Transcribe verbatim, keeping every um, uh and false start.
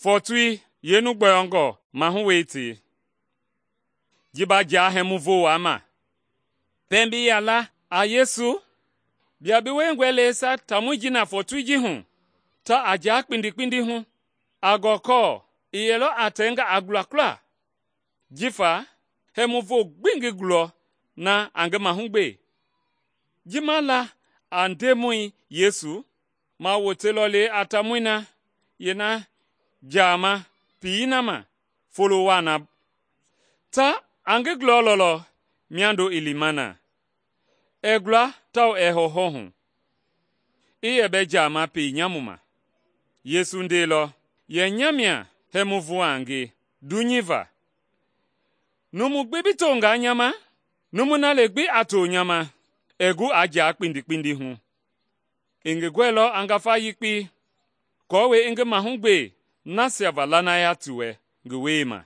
Fɔɔtoi yeenu gbɔyɔngɔ mahu wei tei, ji ba jaa hɛmuvo waa ma. Pɛiŋ bi yaa la a Yesu, bia bi wiengɔe leisa taamɔi ji na fɔɔtoi ji hu, ta a jaa kpindi hu, a gɔkɔɔ i yɛlɔ a tɛnga a gulakula, jifa hɛmuvo gbi ngi gulɔ na a ngi mahugbe. Ji ma la a Ndemɔi Yesu, ma woteilɔ le a taamɔi na yeena jaama peyei na ma folo waa na, ta a ngi gulɔlɔlɔ miando i lima na. Ɛɛ gula tawao ɛɛ hɔwɔhɔ hu, i yɛ bɛɛ jaama pei nyamu ma. Yesu ndeilɔ yɛ nya mia hɛmuvo a nge dunyei va. Numu gbi bi tongaa nya ma, numui na le gbi a to nya ma, ɛɛ gu a jaa kpindi hu. I ngi gɔɛilɔ a ngafa yekpei aako i ngi mahugbe nasia va lanaya ti wɛ ngi wiema.